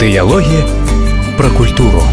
Дыялогі пра культуру.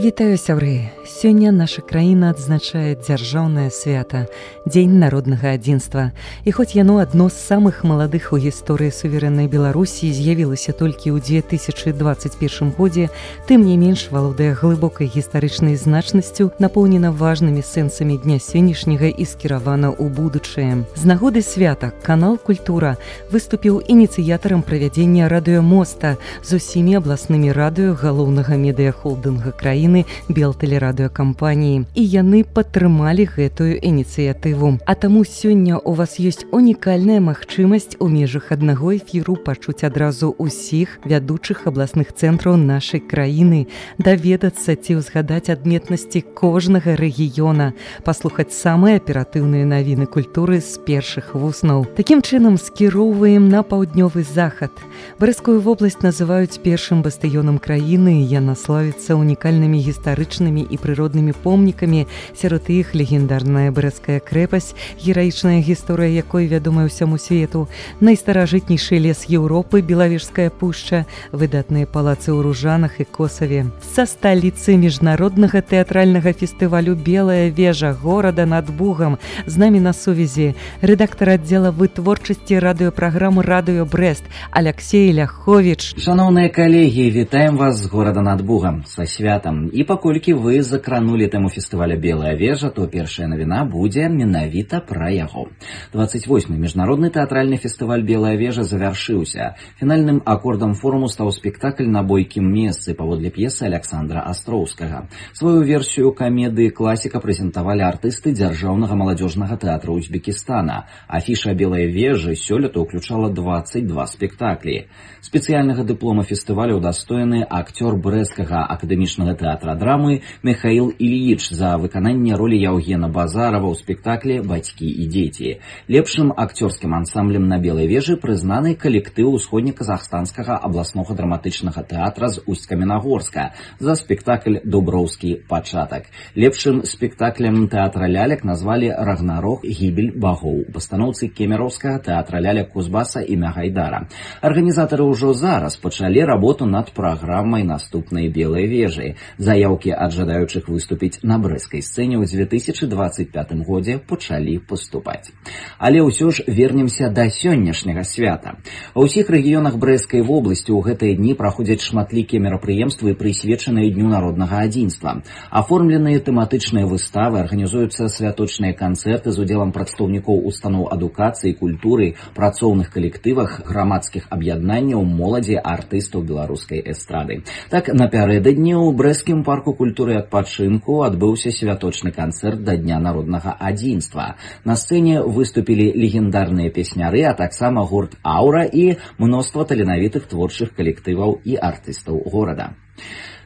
Вітаю, сябры! Сёння наша краіна адзначае дзяржаўнае свята – Дзень народнага адзінства. І хоць яно адно з самых маладых у гісторыі суверэннай Беларусі з'явілася толькі ў 2021 годзе, тым не менш валодае глыбокай гістарычнай значнасцю, напоўнена важнымі сэнсамі дня сённяшняга і скіравана ў будучае. З нагоды свята канал «Культура» выступіў ініцыятарам правядзення радыёмоста з усімі абласнымі радыё галоўнага медыяхолдынга краіны Белтэлерадыёкампаніі. І яны падтрымалі гэтую ініцыятыву. А таму сёння у вас ёсць унікальная магчымасць у межах аднаго эфіру пачуць адразу ўсіх вядучых абласных цэнтраў нашай краіны, даведацца ці ўзгадаць адметнасці кожнага рэгіёна, паслухаць самыя аператыўныя навіны культуры з першых вуснаў. Такім чынам скіроўваем на паўднёвы захад. Брэскую вобласць называюць першым бастыёнам краіны, яна славіцца унікальнымі гістарычнымі і прыроднымі помнікамі, сярод іх легендарная Брэская крэпасць, гераічная гісторыя якой вядомая ўсяму свету, найстаражытнейшы лес Еўропы, Белавежская пушча, выдатныя палацы ў Ружанах і Косаве. Са сталіцы міжнароднага тэатральнага фестывалю «Белая вежа» горада над Бугам з намі на сувязі рэдактар аддзела вытворчасці радыёпраграмы «Радыё Брэст» Аляксей Ляховіч. Шановныя калегі, вітаем вас з горада над Бугам са святам. І паколькі вы закранулі тэму фестываля «Белая вежа», то першая навіна будзе менавіта пра яго. 28-й міжнародны тэатральны фестываль «Белая вежа» завяршыўся. Фінальным акордам форуму стаў спектакль «На бойкім месцы» паводле п'есы Александра Астроўскага. Сваю версію камедыі класіка прэзентавалі артысты дзяржаўнага маладзёжнага тэатра Узбекістана. Афіша «Белай вежы» сёлета ўключала 22 спектаклі. Спецыяльнага дыплома фестываля ўдастоены акцёр брэсцкага акадэмічнага тэатра драмы Михаил Ильич за выкананне ролі Яўгена Базарова ў спектаклі «Бацькі і дзеці». Лепшым акцёрскім ансамблем на Белай вежы прызнаны калектыў усходнеказахстанскага абласнога драматычнага тэатра з Усть-Каменагорска за спектакль «Дуброўскі пачатак». Лепшым спектаклем тэатра лялек назвалі «Рагнарок. Гібель багоў» у пастаноўцы кемероўскага тэатра лялек Кузбаса імя Гайдара. Арганізатары ўжо зараз пачалі работу над праграмай наступнай «Белай вежы». Заяўкі ад жадаючых выступіць на брэскай сцэне ў 2025 годзе пачалі паступаць. Але ўсё ж вернемся да сённяшняга свята. Ва ўсіх рэгіёнах Брэскай вобласці ў гэтыя дні праходзяць шматлікія мерапрыемствы, прысвечаныя Дню народнага адзінства. Аформленыя тэматычныя выставы, арганізуюцца святочныя канцэрты з удзелам прадстаўнікоў устаноў адукацыі, культуры, працоўных калектывах, грамадскіх аб'яднанняў, моладзі, артыстаў беларускай эстрады. Так, напярэдадні ў Брэскім парку культуры і адпачынку адбыўся святочны канцэрт да Дня народнага адзінства. На сцэне выступілі легендарныя песняры, а таксама гурт «Аура» і мноства таленавітых творчых калектываў і артыстаў горада.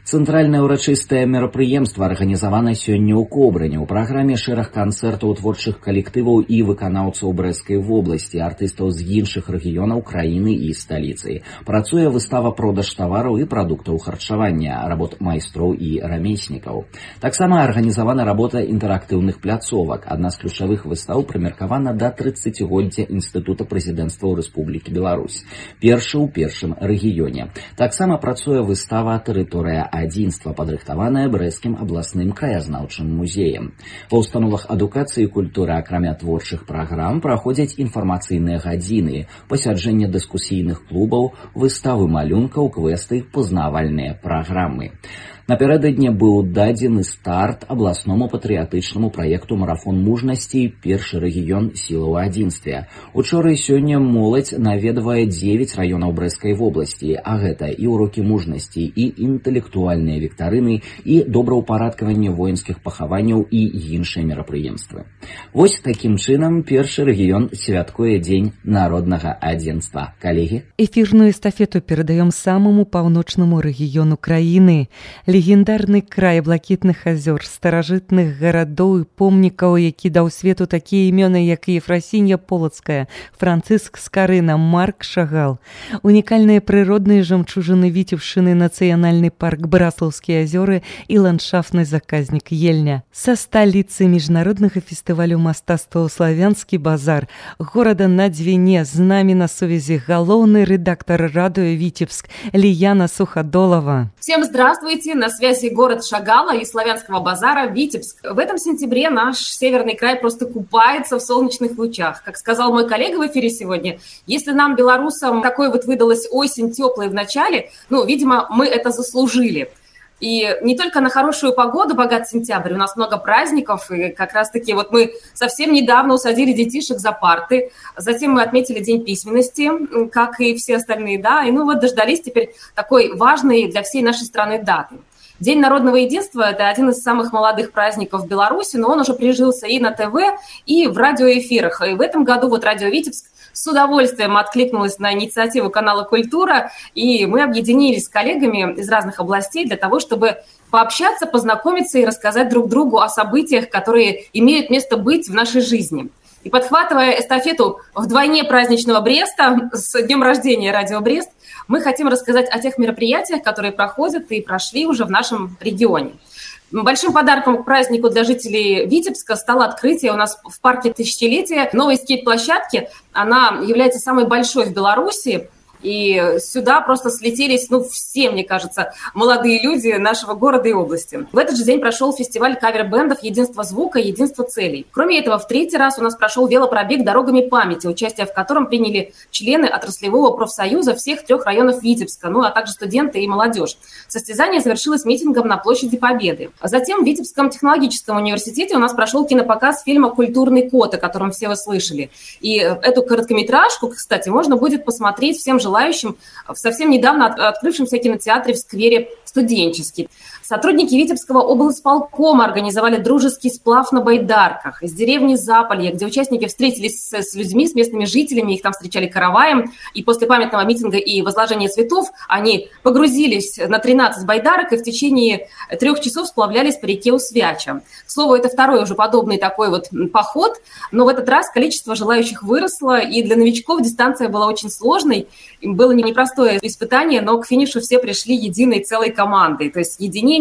Цэнтральнае ўрачыстае мерапрыемства арганізавана сёння ў Кобрыні. У праграме шэраг канцэртаў творчых калектываў і выканаўцаў Брэскай вобласці, артыстаў з іншых рэгіёнаў краіны і сталіцы. Працуе выстава продаж тавараў і прадуктаў харчавання, работ майстроў і рамеснікаў. Таксама арганізавана работа інтэрактыўных пляцовак. Адна з ключавых выстаў прымеркавана да 30годдзя Інстытута прэзідэнцтва ў Рэспублікі Беларусь. Першы ў першым рэгіёне. Таксама працуе выстава «Тэрыторыя адзінства», падрыхтаваная Брэскім абласным краязнаўчым музеем. Ва ўстановах адукацыі і культуры, акрамя творчых праграм, праходзяць інфармацыйныя гадзіны, пасяджэння дыскусійных клубаў, выставы малюнкаў, квесты, пазнавальныя праграмы. Напярэдадні быў дадзены старт абласному патрыятычнаму праекту «Марафон мужнасці. Першы рэгіён сіла ў адзінстве». Учора і сёння моладзь наведвае 9 раёнаў Брэскай вобласці, а гэта і ўрокі мужнасці, і інтэлектуальныя віктарыны, і добраўпарадкаванне воінскіх пахаванняў і іншыя мерапрыемствы. Вось такім чынам першы рэгіён святкуе Дзень народнага адзінства. Калегі? Эфірную эстафету перадаём самаму паўночнаму рэгіёну краіны. Легендарны край блакітных азёр, старажытных гарадоў і помнікаў, які даў свету такія імёны, як Ефрасінья Полацкая, Францыск Скарына, Марк Шагал. Унікальныя прыродныя жамчужыны Віцебшчыны, нацыянальны парк Браслаўскія азёры і ландшафтны заказнік Ельня. Са сталіцы міжнароднага фестывалю мастацтва «Славянскі базар» горада на Двине з намі на сувязі галоўны рэдактор радыё Витебск Лияна Суходолова. Всем здравствуйте! На связи город Шагала и Славянского базара Витебск. В этом сентябре наш северный край просто купается в солнечных лучах. Как сказал мой коллега в эфире сегодня, если нам, белорусам, такой вот выдалась осень теплой в начале, видимо, мы это заслужили. И не только на хорошую погоду богат сентябрь, у нас много праздников, и как раз-таки вот мы совсем недавно усадили детишек за парты, затем мы отметили День письменности, как и все остальные, да, и дождались теперь такой важной для всей нашей страны даты. День народного единства – это один из самых молодых праздников в Беларуси, но он уже прижился и на ТВ, и в радиоэфирах. И в этом году радио Витебск с удовольствием откликнулась на инициативу канала «Культура», и мы объединились с коллегами из разных областей для того, чтобы пообщаться, познакомиться и рассказать друг другу о событиях, которые имеют место быть в нашей жизни. И подхватывая эстафету вдвойне праздничного Бреста с днем рождения радио Брест, мы хотим рассказать о тех мероприятиях, которые проходят и прошли уже в нашем регионе. Большим подарком к празднику для жителей Витебска стало открытие у нас в парке Тысячелетия новой скейт-площадки. Она является самой большой в Беларуси. И сюда просто слетелись, все, мне кажется, молодые люди нашего города и области. В этот же день прошел фестиваль кавер-бэндов «Единство звука, единство целей». Кроме этого, в третий раз у нас прошел велопробег «Дорогами памяти», участие в котором приняли члены отраслевого профсоюза всех 3 районов Витебска, а также студенты и молодежь. Состязание завершилось митингом на площади Победы. А затем в Витебском технологическом университете у нас прошел кинопоказ фильма «Культурный код», о котором все вы слышали. И эту короткометражку, кстати, можно будет посмотреть всем желающим в совсем недавно открывшемся кинотеатре в сквере «Студенческий». Сотрудники Витебского облсполкома организовали дружеский сплав на байдарках из деревни Заполье, где участники встретились с людьми, с местными жителями, их там встречали караваем, и после памятного митинга и возложения цветов они погрузились на 13 байдарок и в течение 3 часов сплавлялись по реке Усвяча. К слову, это второй уже подобный такой поход, но в этот раз количество желающих выросло, и для новичков дистанция была очень сложной, было непростое испытание, но к финишу все пришли единой целой командой, то есть единение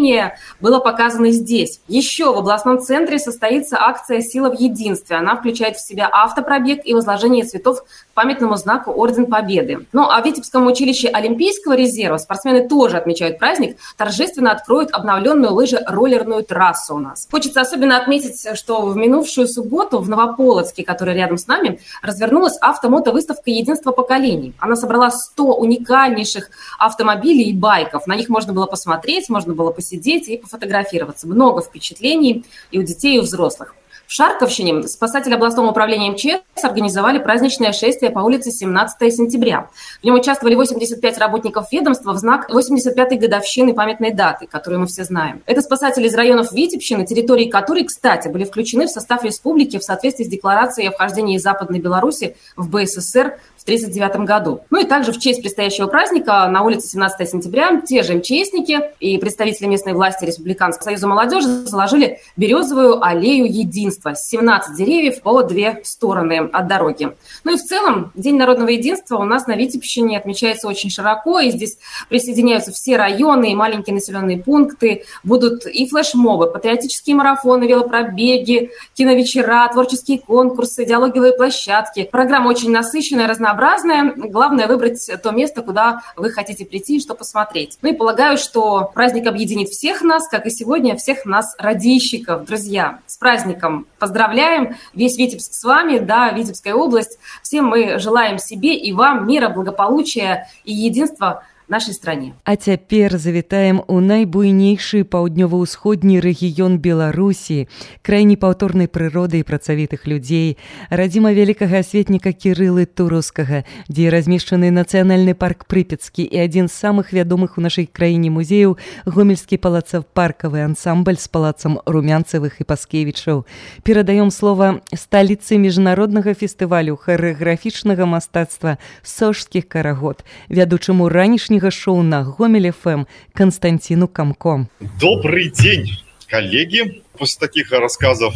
было показано здесь. Еще в областном центре состоится акция «Сила в единстве». Она включает в себя автопробег и возложение цветов к памятному знаку Орден Победы. А в Витебском училище Олимпийского резерва спортсмены тоже отмечают праздник, торжественно откроют обновленную лыжероллерную трассу у нас. Хочется особенно отметить, что в минувшую субботу в Новополоцке, который рядом с нами, развернулась автомотовыставка «Единство поколений». Она собрала 100 уникальнейших автомобилей и байков. На них можно было посмотреть, можно было посидеть и пофотографироваться. Много впечатлений и у детей, и у взрослых. В Шарковщине спасатели областного управления МЧС организовали праздничное шествие по улице 17 сентября. В нем участвовали 85 работников ведомства в знак 85-й годовщины памятной даты, которую мы все знаем. Это спасатели из районов Витебщины, территории которой, кстати, были включены в состав республики в соответствии с декларацией о вхождении Западной Беларуси в БССР в 1939 году. И также в честь предстоящего праздника на улице 17 сентября те же МЧСники и представители местной власти Республиканского союза молодежи заложили березовую аллею единства. 17 деревьев по 2 стороны от дороги. И в целом День народного единства у нас на Витебщине отмечается очень широко, и здесь присоединяются все районы и маленькие населенные пункты. Будут и флешмобы, патриотические марафоны, велопробеги, киновечера, творческие конкурсы, диалоговые площадки. Программа очень насыщенная, разнообразная. Главное выбрать то место, куда вы хотите прийти и что посмотреть. И полагаю, что праздник объединит всех нас, как и сегодня всех нас, радийщиков. Друзья, с праздником поздравляем! Весь Витебск с вами, Витебская область. Всем мы желаем себе и вам мира, благополучия и единства нашай стране. А цяпер завітаем у найбуйнейшы паўднёва-ўсходні рэгіён Беларусі, край непаўторнай прыроды і працавітых людзей, радзіма вялікага асветніка Кірылы Турускага, дзе размешчаны нацыянальны парк Прыпецкі і адзін з самых вядомых у нашай краіне музеяў гомельскі палацапаркавы ансамбль з палацам Румянцевых і Паскевічаў. Перадаём слова сталіцы міжнароднага фестывалю харэаграфічнага мастацтва «Сожскіх карагод», вядучаму ранішняга летняга шоу на Гомель ФМ Константину Камко. Добрый день, коллеги. После таких рассказов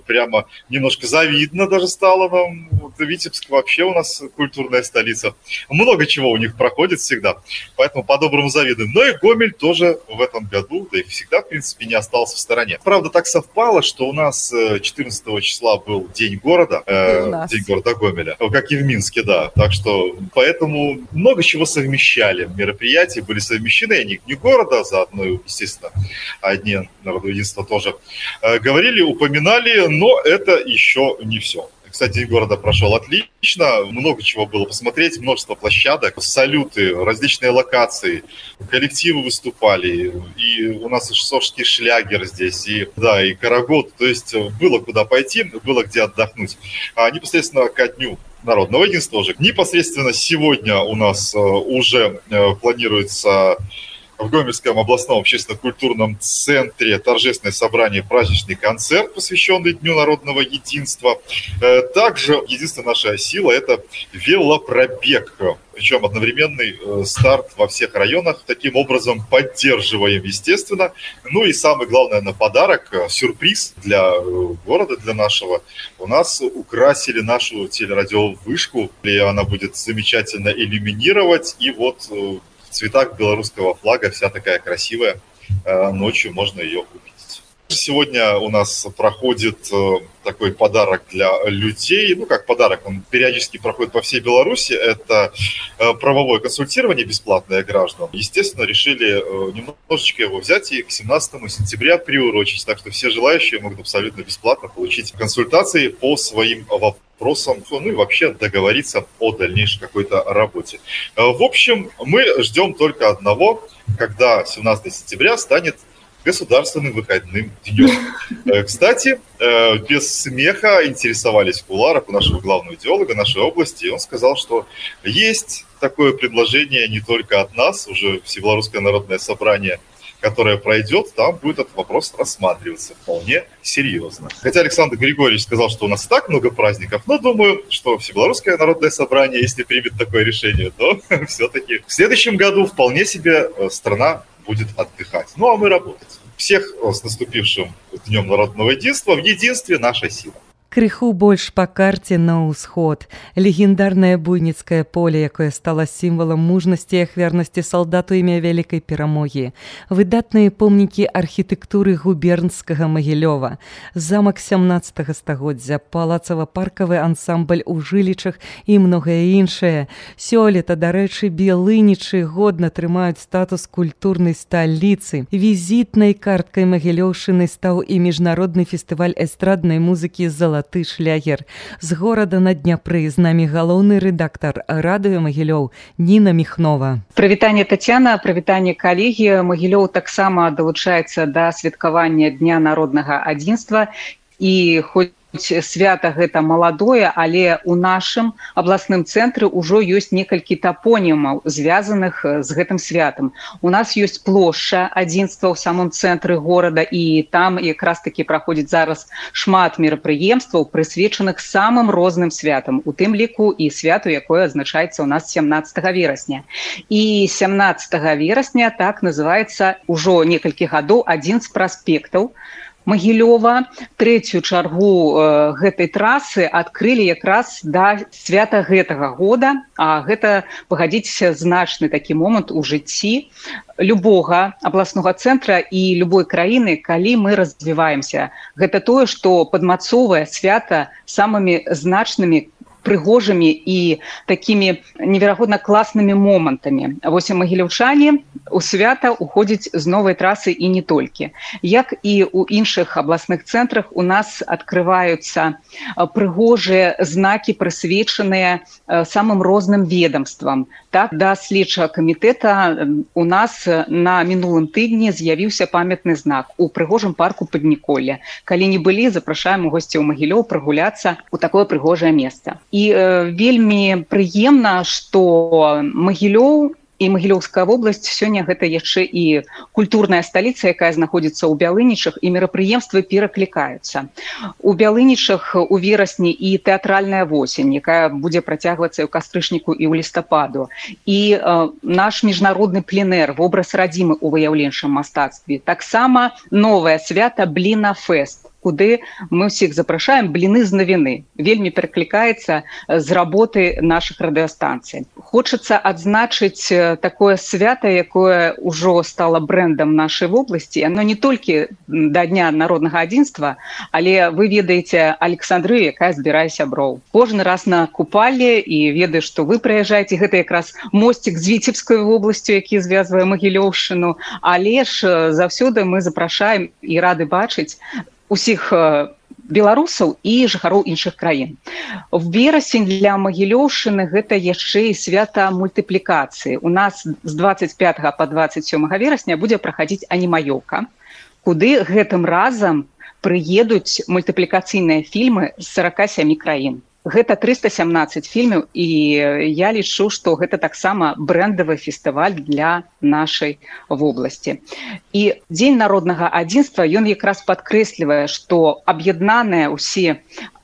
прямо немножко завидно даже стало нам. Витебск вообще у нас культурная столица. Много чего у них проходит всегда, поэтому по-доброму завидуем. Но и Гомель тоже в этом году, да и всегда, в принципе, не остался в стороне. Правда, так совпало, что у нас 14 числа был День города, День города Гомеля, как и в Минске, да. Так что поэтому много чего совмещали. Мероприятия были совмещены, они не города, заодно, естественно, одни народного единства тоже говорили, упоминали, но это еще не все. Кстати, День города прошел отлично, много чего было посмотреть, множество площадок, салюты, различные локации, коллективы выступали, и у нас и шосский шлягер здесь, и карагод, то есть было куда пойти, было где отдохнуть. А непосредственно ко дню народного единства уже, непосредственно сегодня у нас уже планируется в Гомельском областном общественно-культурном центре торжественное собрание, праздничный концерт, посвященный Дню народного единства. Также единственная наша сила – это велопробег, причем одновременный старт во всех районах. Таким образом поддерживаем, естественно. Ну и самый главный, наверное, подарок, сюрприз для города, для нашего. У нас украсили нашу телерадиовышку, и она будет замечательно иллюминировать. И вот в цветах белорусского флага, вся такая красивая. Ночью можно ее увидеть. Сегодня у нас проходит такой подарок для людей. Ну, как подарок, он периодически проходит по всей Беларуси. Это правовое консультирование бесплатное граждан. Естественно, решили немножечко его взять и к 17 сентября приурочить. Так что все желающие могут абсолютно бесплатно получить консультации по своим вопросам, ну и вообще договориться о дальнейшей какой-то работе. В общем, мы ждем только одного, когда 17 сентября станет государственным выходным днем. Кстати, без смеха интересовались в кулуарах у нашего главного идеолога нашей области, и он сказал, что есть такое предложение не только от нас, уже Всебелорусское народное собрание, которое пройдет, там будет этот вопрос рассматриваться вполне серьезно. Хотя Александр Григорьевич сказал, что у нас так много праздников, но думаю, что Всебелорусское народное собрание, если примет такое решение, то все-таки в следующем году вполне себе страна будет отдыхать. Ну, а мы работать. Всех с наступившим Днем народного единства. В единстве наша сила. Крыху больш па карце на ўсход. Легендарнае буйніцкае поле, якое стало сімвалам мужнасці і ахвярнасці салдату імя вялікай перамогі. Выдатныя помнікі архітэктуры губернскага Магілёва. Замак 17 стагоддзя, палацава-паркавы ансамбль у Жылічах і многае іншае. Сёлета, дарэчы, Белынічы годна трымаюць статус культурнай сталіцы. Візітнай карткай Магілёўшчыны стаў і міжнародны фестываль эстраднай музыкі «Залаты шлягер». З горада на Дняпры з намі галоўны рэдактар радыё Магілёў Ніна Міхнова. Прывітанне, Тацяна, прывітанне, калегі. Магілёў таксама далучаецца да святкавання Дня народнага адзінства, і хоць свята гэта маладое, але ў нашым абласным цэнтры ўжо ёсць некалькі тапонімаў, звязаных з гэтым святам. У нас ёсць плошча адзінства ў самом цэнтры горада, і там якраз такі праходзіць зараз шмат мерапрыемстваў, прысвечаных самым розным святам, у тым ліку і святу, якое адзначаецца ў нас 17 верасня. І 17 верасня так называецца ўжо некалькі гадоў адзін з праспектаў Магілёва. Трэцюю чаргу гэтай трасы адкрылі якраз да свята гэтага года, а гэта, пагадзіцеся, значны такі момант у жыцці любога абласнога цэнтра і любой краіны, калі мы развіваемся. Гэта тое, што падмацоўвае свята самымі значнымі, прыгожымі і такімі неверагодна класнымі момантамі. Вось магілёўчане у свята уходзяць з новай трасы і не толькі. Як і ў іншых абласных цэнтрах, у нас адкрываюцца прыгожыя знакі, прысвечаныя самым розным ведомствам. Так, да следчага камітэта у нас на мінулым тыдні з'явіўся памятны знак у прыгожым парку Падніколля. Калі не былі, запрашаем госцяў Магілёў прагуляцца ў такое прыгожае месца. І вельмі прыемна, што Магілёў і Магілёўская вобласць сёння гэта яшчэ і культурная сталіца, якая знаходзіцца ў Бялынічах, і мерапрыемствы пераклікаюцца. У Бялынічах у верасні і тэатральная восень, якая будзе працягвацца і ў кастрычніку і ў лістападу. І наш міжнародны пленэр, вобраз радзімы ў выяўленчым мастацтве. Таксама новае свята Бліна-фэст, куды мы ўсіх запрашаем, бліны з навіны. Вельмі пераклікаецца з работы нашых радыёстанцый. Хочацца адзначыць такое свята, якое ўжо стала брэндам нашай вобласці. Оно не толькі да Дня народнага адзінства, але вы ведаеце Александрыю, якая збірае сяброў. Кожны раз на купале і ведаю, што вы прыязджаеце, гэта якраз мосцік з Віцебскай вобласцю, які звязвае Магілёўшчыну, але ж заўсёды мы запрашаем і рады бачыць усіх беларусаў і жыхароў іншых краін. В верасень для Магілёўшчыны гэта яшчэ і свята мультыплікацыі. У нас з 25 па 27 верасня будзе праходзіць анімаёўка, куды гэтым разам прыедуць мультыплікацыйныя фільмы з 47 краін. Гэта 317 фільмаў, і я лічу, што гэта таксама брэндавы фестываль для нашай вобласці. І Дзень народнага адзінства, ён якраз падкрэслівае, што аб'яднаныя ўсе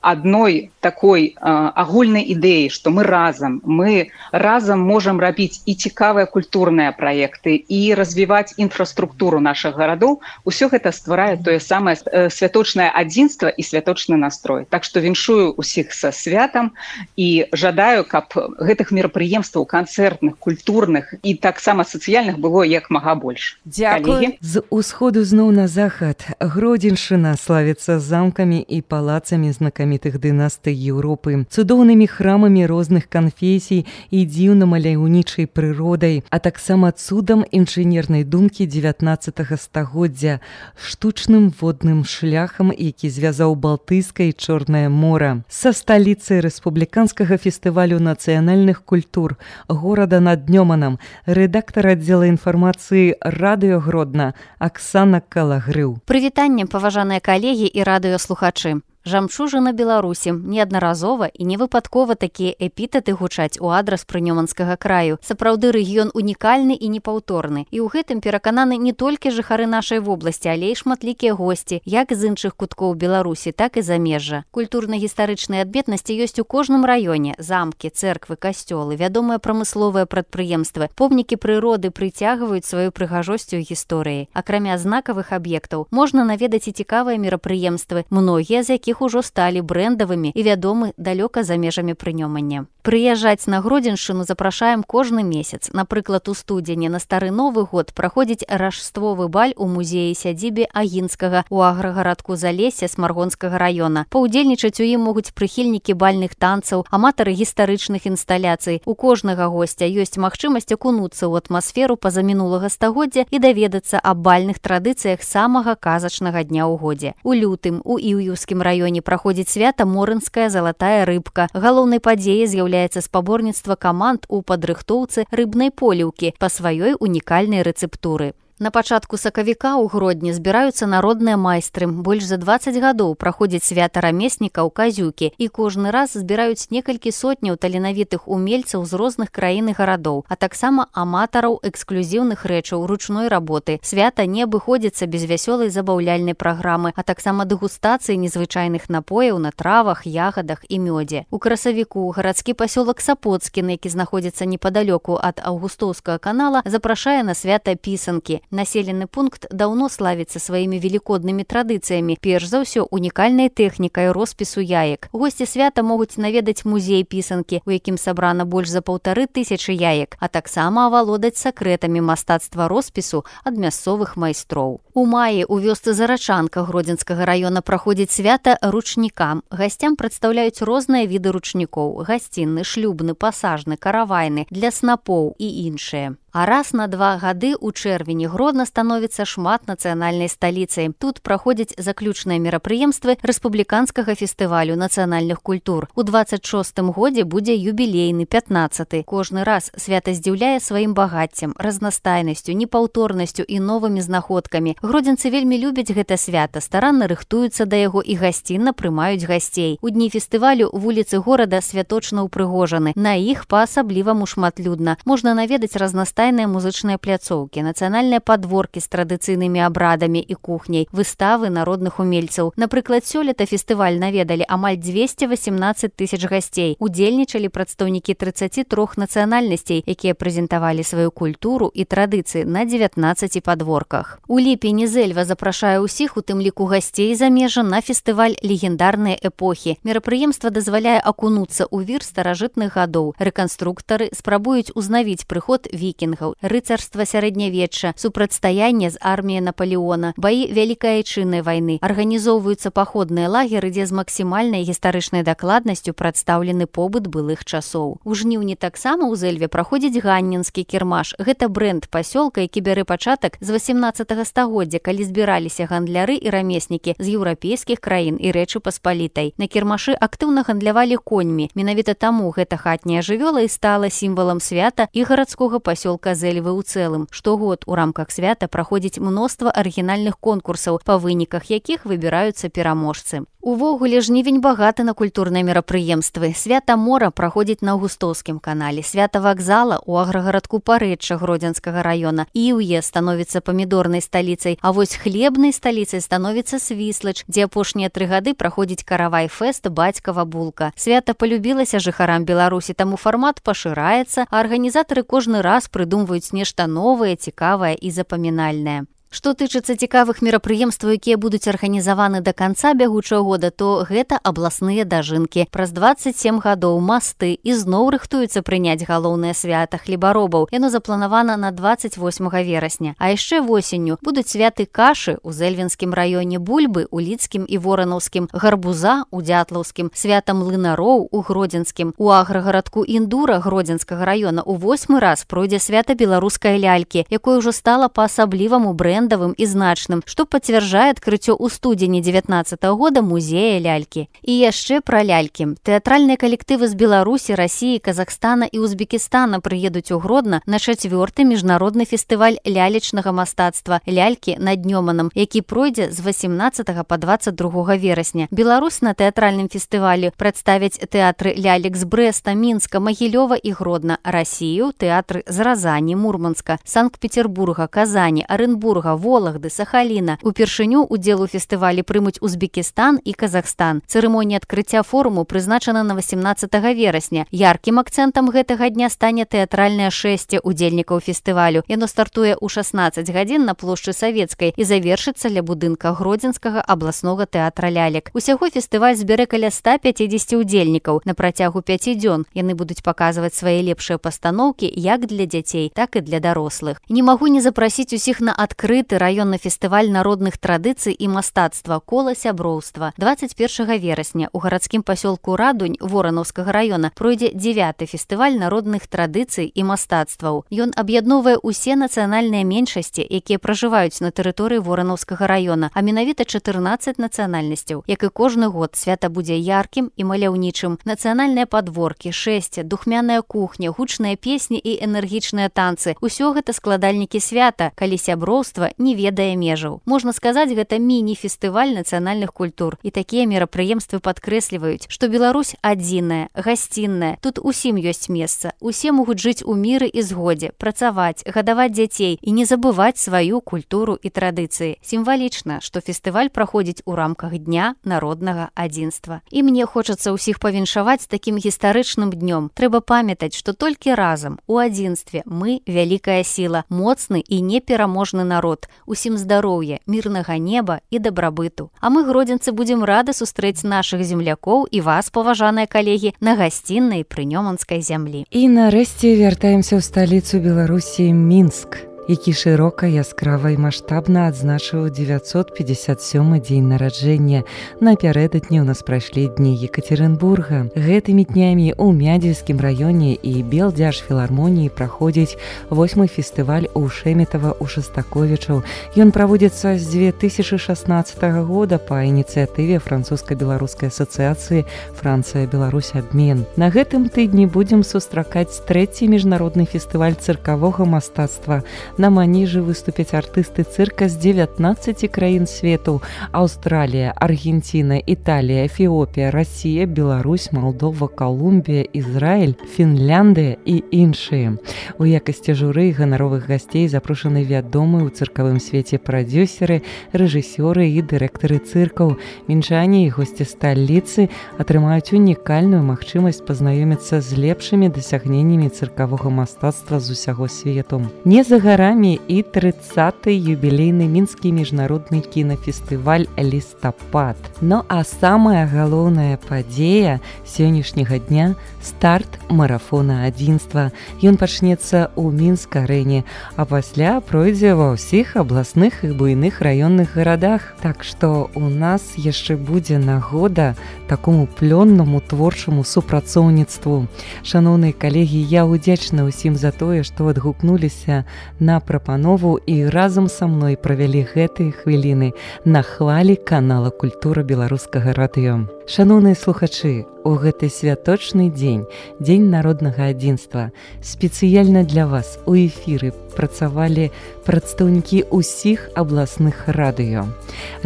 адной такой агульнай ідэі, што мы разам можам рабіць і цікавыя культурныя праекты, і развіваць інфраструктуру нашых гарадоў. Усё гэта стварае тое самае святочнае адзінства і святочны настрой. Так што віншую усіх са святам і жадаю, каб гэтых мерапрыемстваў канцэртных, культурных і таксама сацыяльных было як мага больш. Дзякуй. З усходу зноў на захад. Гродзеншчына славіцца замкамі і палацамі знакамітых дынастый Еўропы, цудоўнымі храмамі розных канфесій і дзіўна-маляўнічай прыродай, а таксама цудам інжынернай думкі 19 стагоддзя, штучным водным шляхам, які звязаў Балтыйскае і Чорнае мора. Са сталіцай рэспубліканскага фестывалю нацыянальных культур горада над Днёманам рэдактар аддзела інфармацыі радыё Гродна Аксана Калагрыў. Прывітанне, паважаныя калегі і радыёслухачы. Жамчужына Беларусі. Неаднаразова і невыпадкова такія эпітэты гучаць у адрас прынёманскага краю. Сапраўды рэгіён унікальны і непаўторны. І ў гэтым перакананы не толькі жыхары нашай вобласці, але і шматлікія госці, як з іншых куткоў Беларусі, так і замежжа. Культурна-гістарычныя адметнасці ёсць у кожным раёне. Замкі, цэрквы, касцёлы, вядомыя прамысловыя прадпрыемствы. Помнікі прыроды прыцягваюць сваю прыгажосцю гісторыяй. Акрамя знакавых аб'ектаў, можна наведаць і цікавыя мерапрыемствы, многія з якіх ужо сталі брэндавымі і вядомы далёка за межамі Прынёмання. Прыязджаць на Гродзеншчыну запрашаем кожны месяц. Напрыклад, у студзені на стары Новы год праходзіць рашствовы баль у музеі-сядзібе Агінскага у аграгарадку Залесся Смаргонскага раёна. Паўдзельнічаць у ім могуць прыхільнікі бальных танцаў, аматары гістарычных інсталяцый. У кожнага госця ёсць магчымасць акунуцца ў атмасферу пазамінулага стагоддзя і даведацца аб бальных традыцыях самага казачнага дня ў годзе. У лютым у Іўюўскім раёне праходзіць свята Морынская залатая рыбка. Галоўнай падзеяй з'яўляецца спаборніцтва каманд у падрыхтоўцы рыбнай поліўкі па сваёй унікальнай рэцэптуры. На пачатку сакавіка ў Гродні збіраюцца народныя майстры. Больш за 20 гадоў праходзіць свята рамеснікаў казюкі, і кожны раз збіраюць некалькі сотняў таленавітых умельцаў з розных краін і гарадоў, а таксама аматараў эксклюзіўных рэчаў ручной работы. Свята не абыходзіцца без вясёлай забаўляльнай праграмы, а таксама дэгустацыі незвычайных напояў на травах, ягадах і мёдзе. У красавіку гарадскі пасёлак Сапоцкін, які знаходзіцца непадалёку ад Аўгустоўскага канала, запрашае на свята пісанкі. Населены пункт даўно славіцца сваімі велікоднымі традыцыямі, перш за ўсё унікальнай тэхнікай роспісу яек. Госці свята могуць наведаць музей пісанкі, у якім сабрана больш за 1500 яек, а таксама авалодаць сакрэтамі мастацтва роспісу ад мясцовых майстроў. У маі у вёсцы Зарачанка Гродзенскага раёна праходзіць свята ручнікам. Гасцям прадстаўляюць розныя віды ручнікоў: гасцінны, шлюбны, пасажны, каравайны, для снапоў і іншыя. А раз на 2 гады ў чэрвені Гродно становіцца шматнацыянальнай сталіцай. Тут праходзяць заключныя мерапрыемствы рэспубліканскага фестывалю нацыянальных культур. У 26-м годзе будзе юбілейны 15-й. Кожны раз свята здзіўляе сваім багаццем, разнастайнасцю, непаўторнасцю і новымі знаходкамі. Гродзенцы вельмі любяць гэта свята, старанна рыхтуюцца да яго і гасцінна прымаюць гасцей. У дні фестывалю вуліцы горада святочна упрыгожаны. На іх па-асабліваму шматлюдна. Можна наведаць разнастайныя музычныя пляцоўкі, нацыянальныя падворкі з традыцыйнымі абрадамі і кухняй, выставы народных умельцаў. Напрыклад, сёлета фестываль наведалі амаль 218 тысяч гасцей. Удзельнічалі прадстаўнікі 33 нацыянальнасцей, якія прэзентавалі сваю культуру і традыцыі на 19 падворках. У ліпені Зэльва запрашае ўсіх, у тым ліку гасцей замежжа, на фестываль «Легендарныя эпохі». Мерапрыемства дазваляе акунуцца ў вір старажытных гадоў. Рэканструктары спрабуюць узнавіць прыход вікінгаў, рыцарства сярэднявечча, супрацьстаянне з арміяй Напалеона, баі Вялікай айчыннай вайны. Арганізоўваюцца паходныя лагеры, дзе з максімальнай гістарычнай дакладнасцю прадстаўлены побыт былых часоў. У жніўні таксама ў Зэльве праходзіць ганнінскі кірмаш. Гэта брэнд пасёлка, які бярэ пачатак з 18 стагоддзя, калі збіраліся гандляры і рамеснікі з еўрапейскіх краін і Рэчы Паспалітай. На кірмашы актыўна гандлявалі коньмі. Менавіта таму гэта хатняя жывёла і стала сімвалам свята і гарадскога пасёлка Зэльвы ў цэлым. Штогод у рамках свята праходзіць мноства арыгінальных конкурсаў, па выніках якіх выбіраюцца пераможцы. Увогуле жнівень багаты на культурныя мерапрыемствы. Свята мора праходзіць на Аўгустоўскім канале, свята вакзала ў аграгарадку Парэчча Гродзенскага раёна. Іўе становіцца памідорнай сталіцай, а вось хлебнай сталіцай становіцца Свіслач, дзе апошнія 3 гады праходзіць каравай-фэст «Бацькава булка». Свята полюбілася жыхарам Беларусі, таму фармат пашыраецца, а арганізатары кожны раз прыдумваюць нешта новае, цікавае і запамінальнае. Што тычыцца цікавых мерапрыемстваў, якія будуць арганізаваны да канца бягучага года, то гэта абласныя дажынкі. Праз 27 гадоў масты ізноў рыхтуюцца прыняць галоўнае свята хлебаробаў. Яно запланавана на 28 верасня. А яшчэ восенню будуць святы кашы ў Зэльвенскім раёне, бульбы ў Лідскім і Воранаўскім, гарбуза ў Дзятлаўскім, свята млынароў у Гродзенскім. У аграгарадку Індура Гродзенскага раёна ў 8-й раз пройдзе свята беларускай лялькі, якое ўжо стала па-асабліваму брэндавым і значным, што пацвярджае адкрыццё ў студзені 19 года музея лялькі. І яшчэ пра лялькі. Тэатральныя калектывы з Беларусі, Расіі, Казахстана і Узбекістана прыедуць у Гродна на 4-й міжнародны фестываль лялечнага мастацтва «Лялькі над Нёманам», які пройдзе з 18 па 22 верасня. Беларусь на тэатральным фестывалі прадставяць тэатры лялек з Брэста, Мінска, Магілёва і Гродна, Расію, тэатры з Разані, Мурманска, Санкт-Петербурга, Казані, Арэнбурга, Вологды, Сахаліна. Упершыню удзел у фестывалі прымуць Узбекістан і Казахстан. Цырымонія адкрыцця форуму прызначана на 18 верасня. Яркім акцэнтам гэтага дня стане тэатральнае шэсце удзельнікаў фестывалю. Яно стартуе ў 16 гадзін на плошчы Савецкай і завершыцца ля будынка Гродзенскага абласнога тэатра лялек. Усяго фестываль збярэ каля 150 удзельнікаў. На працягу 5 дзён яны будуць паказваць свае лепшыя пастаноўкі як для дзяцей, так і для дарослых. Не магу не запрасіць усіх на адкрыты раённы фестываль народных традыцый і мастацтва «Кола сяброўства». 21 верасня у гарадскім пасёлку Радунь Воранаўскага раёна пройдзе 9-й фестываль народных традыцый і мастацтваў. Ён аб'ядноўвае ўсе нацыянальныя меншасці, якія пражываюць на тэрыторыі Воранаўскага раёна, а менавіта 14 нацыянальнасцяў. Як і кожны год, свята будзе яркім і маляўнічым. Нацыянальныя падворкі, шэсце, духмяная кухня, гучныя песні і энергічныя танцы. Усё гэта складальнікі свята, калі сяброўства не ведае межаў. Можна сказаць, гэта міні-фестываль нацыянальных культур. І такія мерапрыемствы падкрэсліваюць, што Беларусь адзіная, гасцінная. Тут усім ёсць месца. Усе могуць жыць у міры і згодзе, працаваць, гадаваць дзяцей і не забываць сваю культуру і традыцыі. Сімвалічна, што фестываль праходзіць у рамках Дня народнага адзінства. І мне хочацца ўсіх павіншаваць такім гістарычным днём. Трэба памятаць, што толькі разам, у адзінстве, мы вялікая сіла, моцны і непераможны народ. Усім здароўя, мірнага неба і дабрабыту. А мы, гродзенцы, будзем рады сустрэць нашых землякоў і вас, паважаныя калегі, на гасціннай прынёманскай зямлі. І нарэшце вяртаемся ў сталіцу Беларусі, Мінск. які шырока, яскрава і маштабна адзначыў 957 дзень нараджэння. Напярэдадні ў нас прайшлі дні Екатеринбурга. Гэтымі днямі ў Мядзельскім раёне і Белдзяржфілармоніі праходзіць 8-й фестываль у Шэметава ў Шастаковічаў. Ён праводзіцца з 2016 года па ініцыятыве французска-беларускай асацыяцыі «Францыя-Беларусь абмен». На гэтым тыдні будзем сустракаць 3-й міжнародны фестываль цыркавога мастацтва. На маніжы выступяць артысты цырка з 19 краін свету: Аўстралія, Аргенціна, Італія, Эфіопія, Расія, Беларусь, Малдова, Калумбія, Ізраіль, Фінляндыя і іншыя. У якасці журы ганаровых гасцей запрошаны вядомыя ў цыркавым свеце прадзюсеры, рэжысёры і дырэктары цыркаў. Мінчане і госці сталіцы атрымаюць унікальную магчымасць пазнаёміцца з лепшымі дасягненнямі цыркавога мастацтва з усяго свету. Не за гарамі і 30-й юбілейны мінскі міжнародны кінафестываль «Лістапад». Ну а самая галоўная падзея сённяшняга дня – старт марафона адзінства. Ён пачнецца ў Мінск-арэне, а пасля пройдзе ва ўсіх абласных і буйных раённых гарадах. Так што у нас яшчэ будзе нагода такому плённаму творчаму супрацоўніцтву. Шаноўныя калегі, я удзячна ўсім за тое, што адгукнуліся на прапанову і разам са мной правялі гэтыя хвіліны на хвалі канала «Культура беларускага радыё». Шаноўныя слухачы, у гэты святочны дзень, дзень народнага адзінства, спецыяльна для вас у эфіры працавалі прадстаўнікі ўсіх абласных радыё.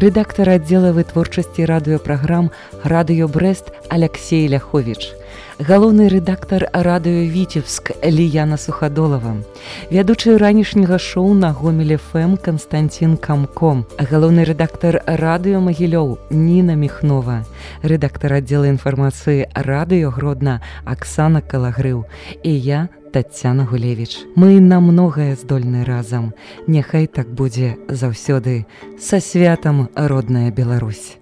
Рэдактар аддзела вытворчасці радыёпраграм «Радыё Брэст» Аляксей Ляховіч. Галоўны рэдактар радыё «Віцебск» Ліяна Сухадолава, вядучы ранішняга шоу на Гомель ФМ Канстанцін Камко, галоўны рэдактар радыё Магілёў Ніна Міхнова, рэдактар аддзела інфармацыі радыё Гродна Аксана Калагрыў і я, Таццяна Гулевіч. Мы на многае здольны разам. Няхай так будзе заўсёды. Са святам, родная Беларусь!